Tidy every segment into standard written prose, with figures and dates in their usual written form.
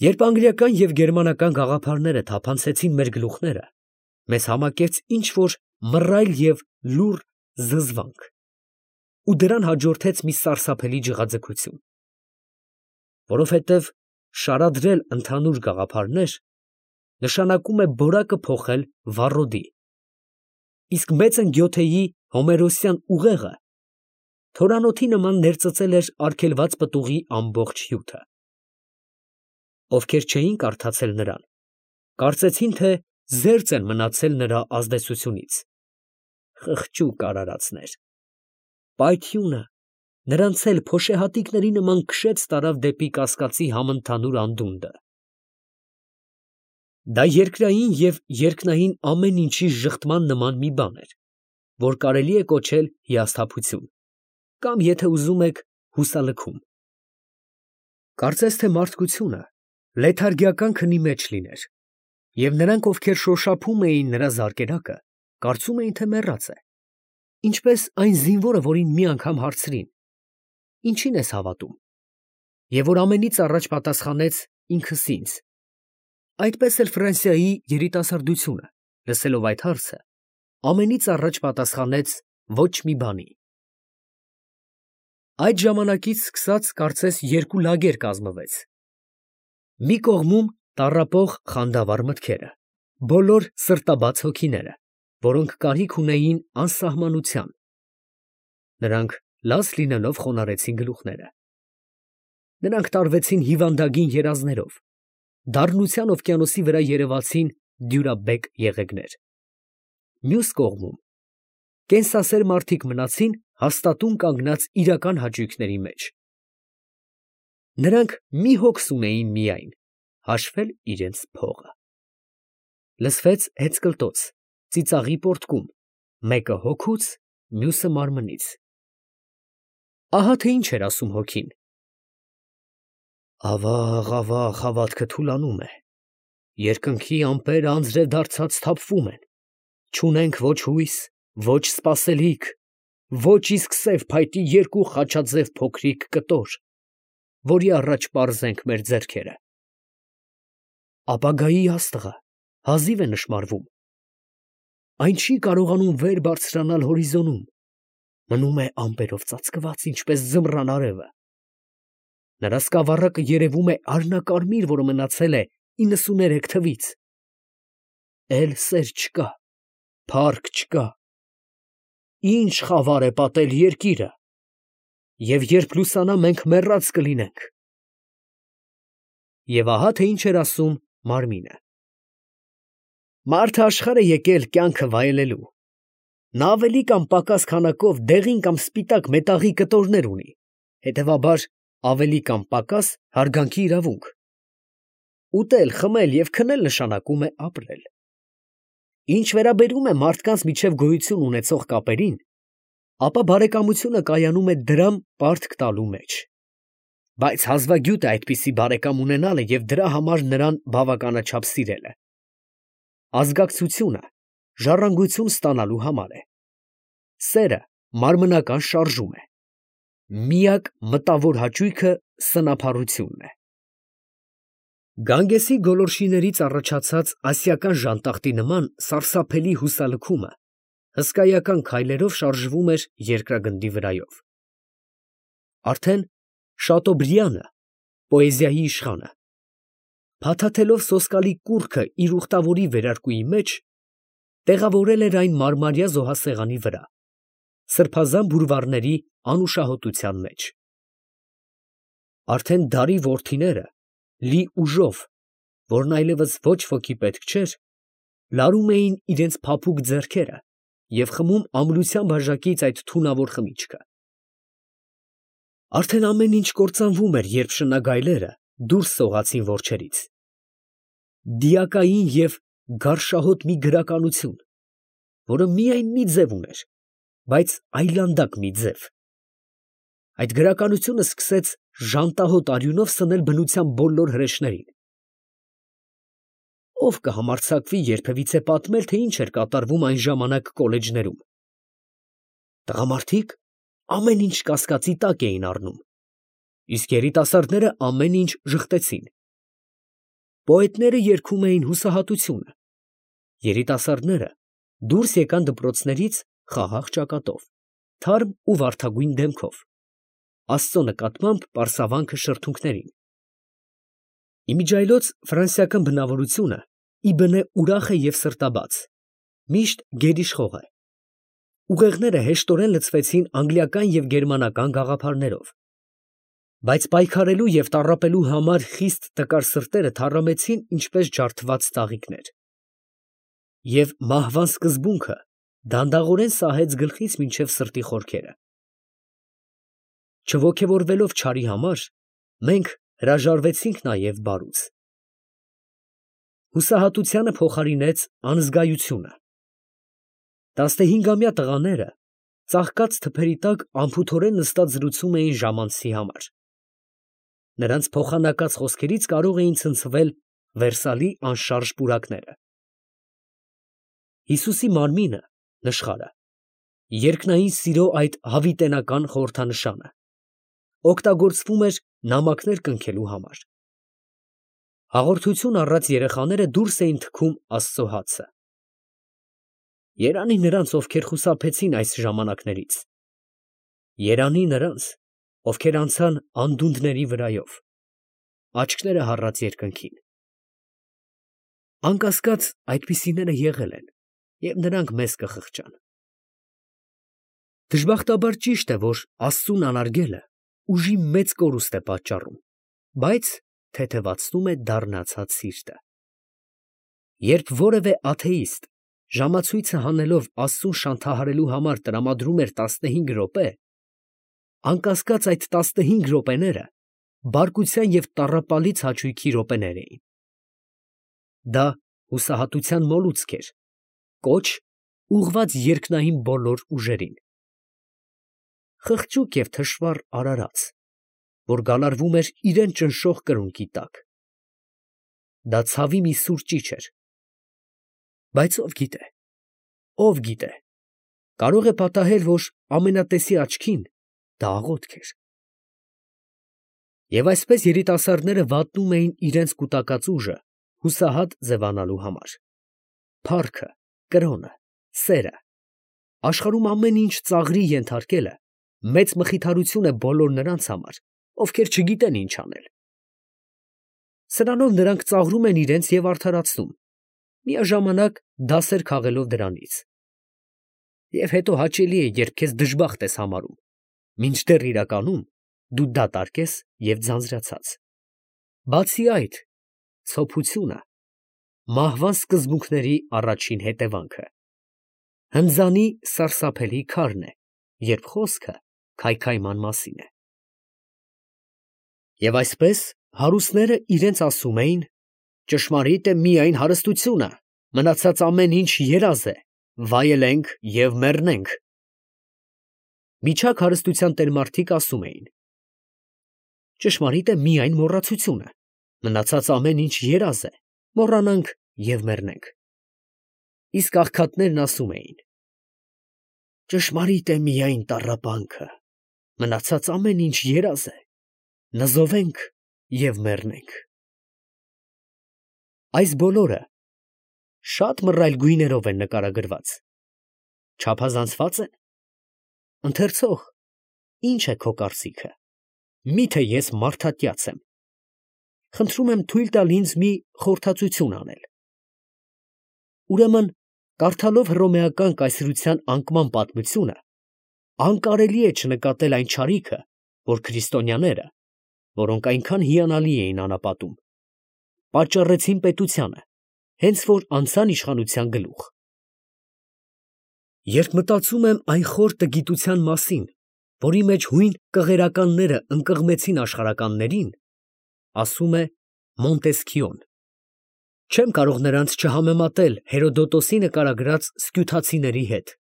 Երբ անգլիական և գերմանական գաղափարները թափանցեցին մեր գլուխները, մեզ համակեց ինչ֊որ մռայլ և լուռ զզվանք, ու դրան հաջորդեց մի սարսափելի ջղաձգություն, որովհետև շարադրել ընդհանուր գաղափարներ նշանակում է որակը փոխել վառոդի, իսկ մեծն Գյոթեի հոմերոսյան ուղեղը թորանոթի նման ներծծել էր արգելված պտուղի ամբողջ հյութը։ Ովքեր չէին կարդացել նրան, կարծեցին, թե զերծ են մնացել նրա ազդեցությունից. խղճուկ արարածներ, պայթյունը նրանց էլ փոշեհատիկների նման քշեց տարավ դեպի կասկածի համընդհանուր անդունդը։ Դա երկրային և երկնային ամեն ինչի ժխտման նման մի բան էր, որ կարելի է կոչել հիասթափություն, կամ, եթե ուզում եք, հուսալքում։ Կարծես թե մարդկությունը լեթարգիական քնի մեջ լիներ, և նրանք, ովքեր շոշափում էին նրա զարկերակը, կարծում էին, թե մեռած է, ինչպես այն զինվորը, որին մի անգամ հարցրին. «Ինչի՞ն ես հավատում», և որ ամենից առաջ պատասխանեց. «Ինքս ինձ»։ Այդպես էլ Ֆրանսիայի երիտասարդությունը, լսելով այդ հարցը, ամենից առաջ պատասխանեց. «Ոչ մի բանի»։ Այդ ժամանակից սկսած կարծես երկու լագեր կազմվեց. մի կողմում տառապող խանդավառ մտքերը, բոլոր սրտաբաց հոգիները, որոնք կարիք ունեին անսահմանության, նրանք լաց լինելով խոնարհեցին գլուխները, նրանք տարվեցին հիվանդագին երազներով, դառնության օվկիանոսի վրա երևացին դյուրաբեկ եղեգներ։ Մյուս կողմում կենսասեր մարդիկ մնացին հաստատուն կանգնած իրական հաճույքների մեջ։ Նրանք մի հոգս ունեին միայն՝ հաշվել իրենց փողը։ Լսվեց հեծկլտոց, ծիծաղի պոռթկում, մեկը հոգուց, մյուսը մարմնից։ Ահա թե ինչ էր ասում հոգին. «Ավաղ, ավաղ, հավատքը թուլանում է, երկնքի ամպերը անձրև դարձած թափվում են, չունենք ոչ հույս, ոչ սպասելիք, ոչ իսկ սև փայտի երկու խաչաձև փոքրիկ կտոր, որի առաջ պարզենք մեր ձեռքերը։ Ապագայի աստղը հազիվ է նշմարվում, այն չի կարողանում վեր բարձրանալ հորիզոնում, մնում է ամպերով ծածկված, ինչպես ձմռան արևը։ Նրա սկավառակը երևում է արհնակարմիր, որը մնացել է 93 թվից։ Էլ սեր չկա, փառք չկա, ինչ խավար է պատել երկիրը, և երբ լուսանա, մենք մեռած կլինենք»։ Եվ ահա թե ինչ էր ասում մարմինը. «Մարդը աշխարհ է եկել կյանքը վայելելու. նա ավելի կամ պակաս քանակով դեղին կամ սպիտակ մետաղի կտորներ ունի, հետևաբար ավելի կամ պակաս հարգանքի իրավունք։ Ուտել, խմել և քնել նշանակում է ապրել։ Ինչ վերաբերում է մարդկանց միջև գոյություն ունեցող կապերին, ապա բարեկամությունը կայանում է դրամ պարտք տալու մեջ։ Բայց հազվագյուտ է այդպիսի բարեկամ ունենալը և դրա համար նրան բավականաչափ սիրելը։ Ազգակցությունը ժառանգություն ստանալու համար է։ Սերը մարմնական շարժում է։ Միակ մտավոր հաճույքը սնափառությունն է»։ Գանգեսի գոլորշիներից առաջացած ասիական ժանտախտի նման սարսափելի հուսալքումը հսկայական քայլերով շարժվում էր երկրագնդի վրայով։ Արդեն Շատոբրիանը, պոեզիայի իշխանը, փաթաթելով սոսկալի կուռքը իր ուխտավորի վերարկուի մեջ, տեղավորել էր այն մարմարյա զոհասեղանի վրա, սրբազան բուրվառների անուշահոտության մեջ։ Արդեն դարի որդիները, լի ուժով, որն այլևս ոչ ոքի պետք չէր, լարում էին իրենց փափուկ ձեռքերը և խմում ամրության բաժակից այդ թունավոր խմիչքը։ Արդեն ամեն ինչ կործանվում էր, երբ շնագայլերը դուրս սողացին որջերից։ Դիակային և գարշահոտ մի գրականություն, որը միայն մի ձև ուներ, բայց այլանդակ մի ձև։ Այդ գրականությունը սկսեց ժանտահոտ արյունով սնել բնության բոլոր հրեշներին։ Ո՞վ կհամարձակվի երբևիցե պատմել, թե ինչ էր կատարվում այն ժամանակ կոլեջներում։ Տղամարդիկ ամեն ինչ կասկածի տակ էին առնում, իսկ երիտասարդները ամեն ինչ ժխտեցին։ Պոետները երգում էին հուսահատությունը, երիտասարդները դուրս եկան դպրոցներից խաղաղ ճակատով, թարմ ու վարդագույն դեմքով, Աստծո նկատմամբ պարսավանքը շրթունքներին։ Իմիջայլոց ֆրանսիական բնավորությունը իբնե ուրախ է և սրտաբաց, միշտ գերիշխող է։ Ուղեղները հեշտորեն լցվեցին անգլիական և գերմանական գաղափարներով, բայց պայքարելու և տառապելու համար խիստ տկար սրտերը թառամեցին ինչպես ջարդված ծաղիկներ։ Եվ մահվան սկզբունքը դանդաղորեն սահեց գլխից մինչև սրտի խորքերը։ Չոգևորվելով չարի համար, մենք հրաժարվեցինք նաև բարուց։ Հուսահատությանը փոխարինեց անզգայությունը։ 15-ամյա տղաները ծաղկած թփերի տակ անփութորեն նստած զրուցում էին ժամանցի համար։ Նրանց փոխանակած խոսքերից կարող էին ցնցվել Վերսալի անշարժ պուրակները։ Հիսուսի մարմինը, նշխարը, երկնային սիրո այդ հավիտենական խորհրդանշանը, օգտագործվում էր նամակներ կնքելու համար։ Հաղորդություն առած երեխաները դուրս էին թքում Աստծո հացը։ Երանի նրանց, ովքեր խուսափեցին այս ժամանակներից։ Երանի նրանց, ովքեր անցան անդունդների վրայով, աչքները հառած երկնքին։ Անկասկած այդպիսիները եղել են, և նրանք մեզ կխղճան։ Դժբախտաբար ճիշտ է, որ Աստծուն անարգելը ուժի մեծ կորուստ է պատճառում, բայց թեթևացնում է դառնացած սիրտը։ Երբ որևէ աթեիստ ժամացույցը հանելով Աստծուն շանթահարելու համար տրամադրում էր 15 րոպե, անկասկած այդ 15 րոպեները բարկության և տառապալից հաճույքի րոպեներ էին։ Դա հուսահատության մոլուցք էր, կոչ ուղղված երկնային բոլոր ուժերին։ Խղճուկ և թշվառ արարած, որ գալարվում էր իրան ճնշող կրունկի տակ։ Դա ցավի մի սուր ճիչ էր։ Բայց ով գիտե, կարող է պատահել, որ ամենատեսի աչքին դա աղոթք էր։ Եվ այսպես երիտասարդները վատնում էին իրենց կուտակած ուժը հուսահատ ձևանալու համար։ Փառքը, կրոնը, սերը, աշխարհում ամեն ինչ ծաղրի ենթարկելը մեծ մխիթարություն է բոլոր նրանց համար, ովքեր չգիտեն ինչ անել։ Սրանով նրանք ծաղրում են իրենց և արդարացնում, միաժամանակ դասեր քաղելով դրանից։ Եվ հետո հաճելի է, երբ քեզ դժբախտ ես համարում, մինչդեռ իրականում դու դատարկ ես և ձանձրացած։ Բացի այդ, ցոփությունը մահվան սկզբունքների առաջին հետևանքը։ Հնձանի սարսափելի քարն է, երբ խոսքը քայքայման մասին է։ Եվ այսպես հարուստները իրենց ասում էին. ճշմարիտ է միայն հարստությունը, մնացած ամեն ինչ երազ է, վայելենք և մեռնենք։ Միջակ հարստության տերմարդիկ ասում էին. ճշմարիտ է միայն մոռացությունը, մնացած ամեն ինչ երազ է, մոռանանք և մեռնենք։ Իսկ աղքատներն ասում էին. ճշմարիտ է միայն տառապանքը, մնացած ամեն ինչ երազ է, նզովենք և մեռնենք։ Այս բոլորը շատ մռայլ գույներով են նկարագրված։ Չափազանցվա՞ծ են։ Ընթերցող, ի՞նչ է քո կարծիքը։ Մի՞թե ես մարդատյաց եմ։ Խնդրում եմ թույլ տալ ինձ մի խորհրդածություն անել։ Ուրեմն, կարդալով հռոմեական կայսրության անկման պատմությունը, անկարելի է չնկատել այն չարիքը, որ քրիստոնյաները, որոնք այնքան հիանալի էին անապատում, պատճառեցին պետությանը, հենց որ անցան իշխանության գլուխ։ Երբ մտածում եմ այն խոր տգիտության մասին, որի մեջ հույն կղերականները ընկղմեցին աշխարհականներին, ասում է Մոնտեսքիոն, չեմ կարող նրանց չհամեմատել Հերոդոտոսի նկարագրած սկյութացիների հետ,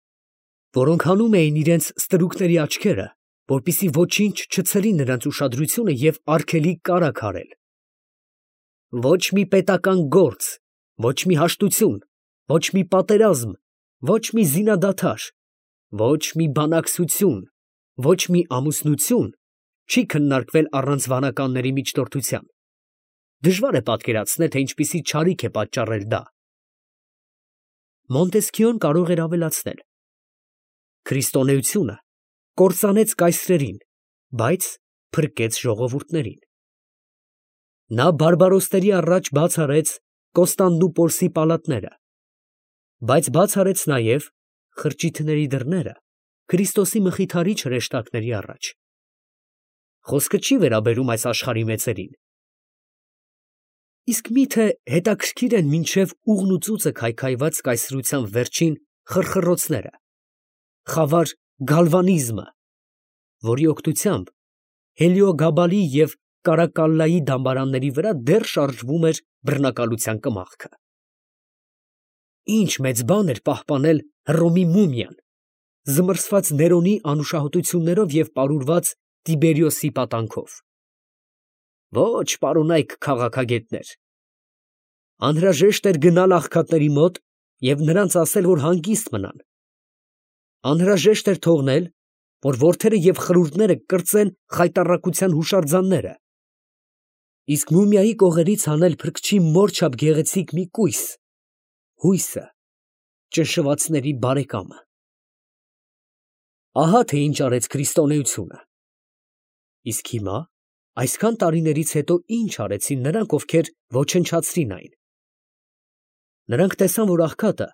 որոնք հանում էին իրենց ստրուկների աչքերը, որպեսզի ոչինչ չցրի նրանց ուշադրությունը և արգելիկ կարագ արել։ Ոչ մի պետական գործ, ոչ մի հաշտություն, ոչ մի պատերազմ, ոչ մի զինադադար, ոչ մի բանակցություն, ոչ մի ամուսնություն չի քննարկվել առանց վանականների միջնորդության։ Դժվար է պատկերացնել, թե ինչպիսի չարիք է պատճառել դա։ Մոնտեսքիոն կարող էր ավելացնել. քրիստոնեությունը կործանեց կայսրերին, բայց փրկեց ժողովուրդներին։ Նա բարբարոսների առաջ բաց արեց Կոստանդնուպոլսի պալատները, բայց բաց արեց նաև խրճիթների դռները Քրիստոսի մխիթարիչ հրեշտակների առաջ։ Խոսքը չի վերաբերում այս աշխարհի մեծերին։ Իսկ միթե հետաքրքիր են մինչև ուղն ու ծուծը քայքայված կայսրության վերջին խրխռոցները, խավար գալվանիզմը, որի օգնությամբ Հելիոգաբալի և Կարակալլայի դամբարանների վրա դեռ շարժվում էր բռնակալության կմախքը։ Ինչ մեծ բան էր պահպանել Հռոմի մումիան, զմռսված Ներոնի անուշահոտություններով և պարուրված Տիբերիոսի պատանքով։ Ոչ, պարոնայք քաղաքագետներ, անհրաժեշտ էր գնալ աղքատների մոտ և նրանց ասել, որ հանգիստ մնան։ Անհրաժեշտ էր թողնել, որ որդերը և խրուրդները կրծեն խայտառակության հուշարձանները, իսկ մումիայի կողերից հանել փրկչի մոր չափ գեղեցիկ մի կույս, հույսը, ճնշվածների բարեկամը։ Ահա թե ինչ արեց քրիստոնեությունը։ Իսկ հիմա, այսքան տարիներից հետո, ինչ արեցին նրանք, ովքեր ոչնչացրին այն։ Նրանք տեսան, որ աղքատը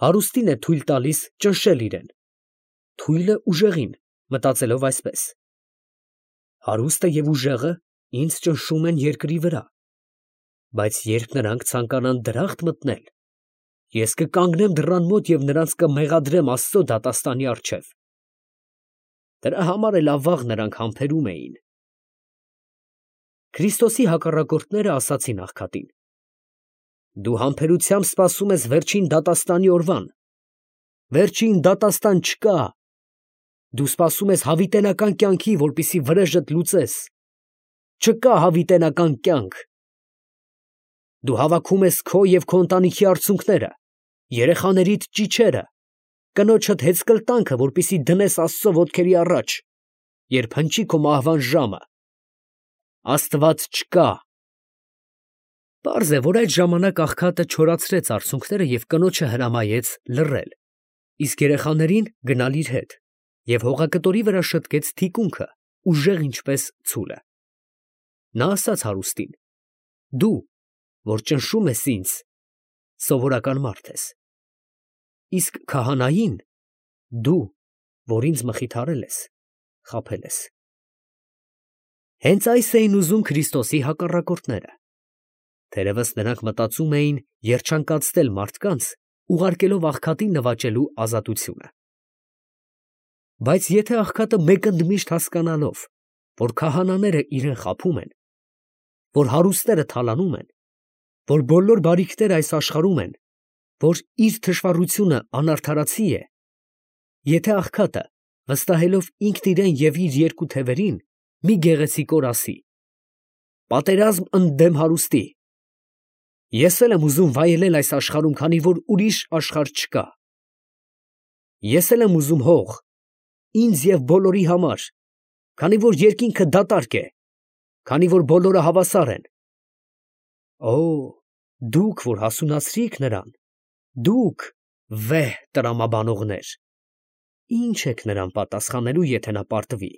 հարուստին է թույլ տալիս ճնշել իրեն, թույլը ուժեղին, մտածելով այսպես. հարուստը և ուժեղը ինձ ճնշում են երկրի վրա, բայց երբ նրանք ցանկանան դրախտ մտնել, ես կկանգնեմ դռան մոտ և նրանց կմեղադրեմ Աստծո դատաստանի առջև։ Դրա համար էլ ավաղ նրանք համբերում էին։ Քրիստոսի հակառակորդները ասացին աղքատին. դու համբերությամբ սպասում ես վերջին դատաստանի օրվան։ Վերջին դատաստան չկա։ Դու սպասում ես հավիտենական կյանքի, որպեսզի վրեժդ լուծես։ Չկա հավիտենական կյանք։ Դու հավաքում ես քո և քո ընտանիքի արցունքները, երեխաներիդ ճիչերը, կնոջդ հեծկլտանքը, որպեսզի դնես Աստծո ոտքերի առաջ, երբ հնչի քո մահվան ժամը։ Աստված չկա։ Պարզ է, որ այդ ժամանակ աղքատը չորացրեց արցունքները և կնոջը հրամայեց լռել, իսկ երեխաներին գնալ իր հետ, և հողակտորի վրա շտկեց թիկունքը, ուժեղ ինչպես ցուլը։ Նա ասաց հարուստին. դու, որ ճնշում ես ինձ, սովորական մարդ ես, իսկ քահանային, դու, որ ինձ մխիթարել ես, խաբել ես։ Հենց այս էին ուզում Քրիստոսի հակառակորդները։ Թերևս նրանք մտածում էին երջանկացնել մարդկանց, ուղարկելով աղքատին նվաճելու ազատությունը։ Բայց եթե աղքատը մեկ ընդմիշտ հասկանալով, որ քահանաները իրեն խաբում են, որ հարուստները թալանում են, որ բոլոր բարիքները այս աշխարհում են, որ իր թշվառությունը անարդարացի է, եթե աղքատը, վստահելով ինքն իրեն և իր երկու թևերին, մի գեղեցիկ օր ասի. պատերազմ ընդդեմ հարուստի, ես էլ եմ ուզում վայելել այս աշխարհում, քանի որ ուրիշ աշխարհ չկա։ Ես էլ եմ ուզում հող, ինձ և բոլորի համար, քանի որ երկինքը դատարկ է, քանի որ բոլորը հավասար են։ Օ, դուք, որ հասունացրիք նրան, դուք, վեհ տրամաբանողներ, ի՞նչ եք նրան պատասխանելու, եթե նա պարտվի։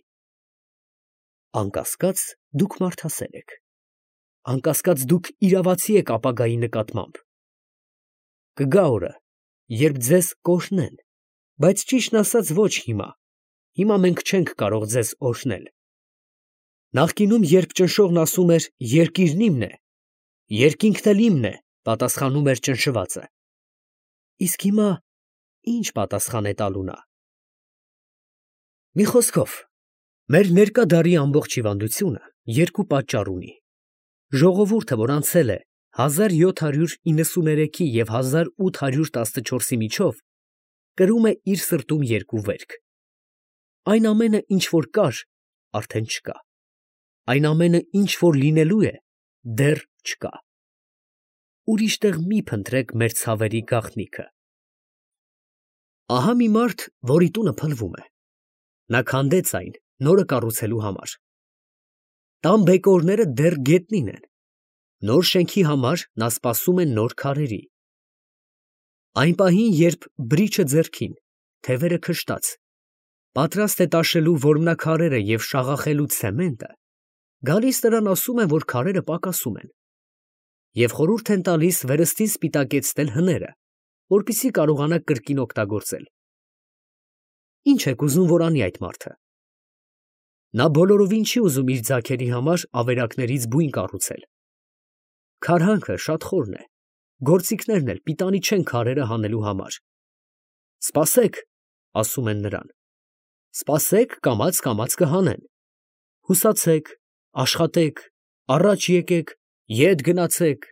Անկասկած, դուք մարդասեր եք, անկասկած դուք իրավացի եք ապագայի նկատմամբ։ Կգա օրը, երբ ձեզ կօրհնեն, բայց ճիշտն ասած ոչ հիմա, հիմա մենք չենք կարող ձեզ օրհնել։ Նախկինում, երբ ճնշողն ասում էր երկիրն իմն է, երկինքն էլ իմն է, պատասխանում էր ճնշվածը։ Իսկ հիմա ի՞նչ պատասխան է տալու նա։ Մի խոսքով, մեր ներկա դարի ամբողջ հիվանդությունը երկու պատճառ ունի։ Ժողովուրդը, որ անցել է 1793-ի և 1814-ի միջով, կրում է իր սրտում երկու վերք. այն ամենը, ինչ որ կար, արդեն չկա, այն ամենը, ինչ որ լինելու է, դեռ չկա։ Ուրիշ տեղ մի փնտրեք մեր ցավերի գաղտնիքը։ Ահա մի մարդ, որի տունը փլվում է, նա քանդեց այն նորը կառուցելու համար։ Տան բեկորները դեռ գետնին են, Նոր շենքի համար նա սպասում է նոր քարերի։ Այն պահին, երբ բրիչը ձեռքին, թևերը քշտած, պատրաստ է տաշելու որմնաքարերը և շաղախելու ցեմենտը, գալիս նրան ասում են, որ քարերը պակասում են, և խորհուրդ են տալիս վերստին սպիտակեցնել հները, որպեսզի կարողանա կրկին օգտագործել։ Ինչ եք ուզում, որ անի այդ մարդը։ Նա բոլորովին չի ուզում իր ձագերի համար ավերակներից բույն կառուցել։ Քարհանքը շատ խորն է, գործիքներն էլ պիտանի չեն քարերը հանելու համար։ Սպասեք, ասում են նրան, սպասեք, կամաց կհանեն։ Հուսացեք, աշխատեք, առաջ եկեք, ետ գնացեք։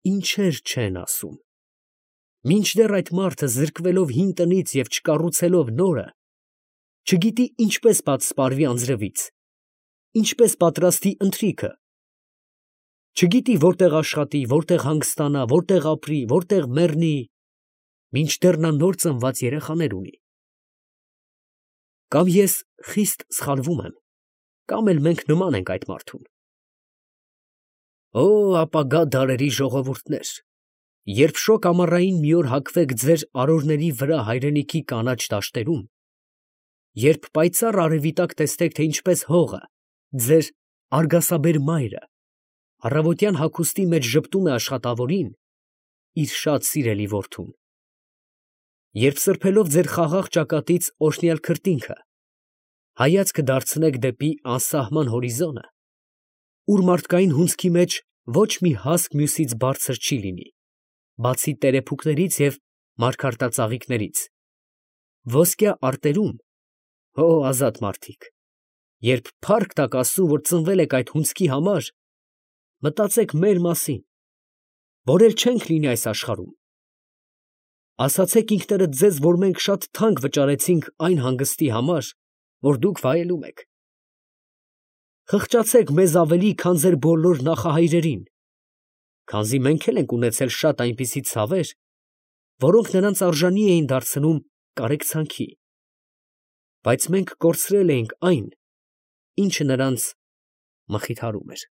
Ինչեր չեն ասում։ Մինչդեռ այդ մարդը զրկվելով հին տնից և չկառուցելով նորը, չգիտի ինչպես պատսպարվի անձրևից, ինչպես պատրաստի ընթրիքը, չգիտի որտեղ աշխատի, որտեղ հանգստանա, որտեղ ապրի, որտեղ մեռնի, մինչդեռ նա նոր ծնված երեխաներ ունի։ Կամ ես խիստ սխալվում եմ, կամ էլ մենք նման ենք այդ մարդուն։ Օ, ապագա դարերի ժողովուրդներ, երբ շոգ ամառային մի օր հագվեք ձեր արորների վրա հայրենիքի կանաչ դաշտերում, երբ պայծառ արևի տակ տեսնեք, թե ինչպես հողը, ձեր արգասաբեր մայրը, առավոտյան հագուստի մեջ ժպտում է աշխատավորին, իր շատ սիրելի որդուն, երբ սրբելով ձեր խաղաղ ճակատից օրհնյալ քրտինքը, հայացքը դարձնեք դեպի անսահման հորիզոնը, ուր մարդկային հունձքի մեջ ոչ մի հասկ մյուսից բարձր չի լինի, բացի տերեփուկներից և մարգարտածաղիկներից, ոսկյա արտերում, հո ազատ մարդիկ, երբ փառք տաք Աստծուն, որ ծնվել եք այդ հունձքի համար, մտածեք մեր մասին, որ էլ չենք լինի այս աշխարհում, ասացեք ինքներդ ձեզ, որ մենք շատ թանկ վճարեցինք այն հանգստի համար, որ դուք վայելում եք, խղճացեք մեզ ավելի, քան ձեր բոլոր նախահայրերին, քանզի մենք էլ ենք ունեցել շատ այնպիսի ցավեր, որոնք նրանց արժանի էին դարձնում կարեկցանքի, բայց մենք կորցրել էինք այն, ինչը նրանց մխիթարում էր։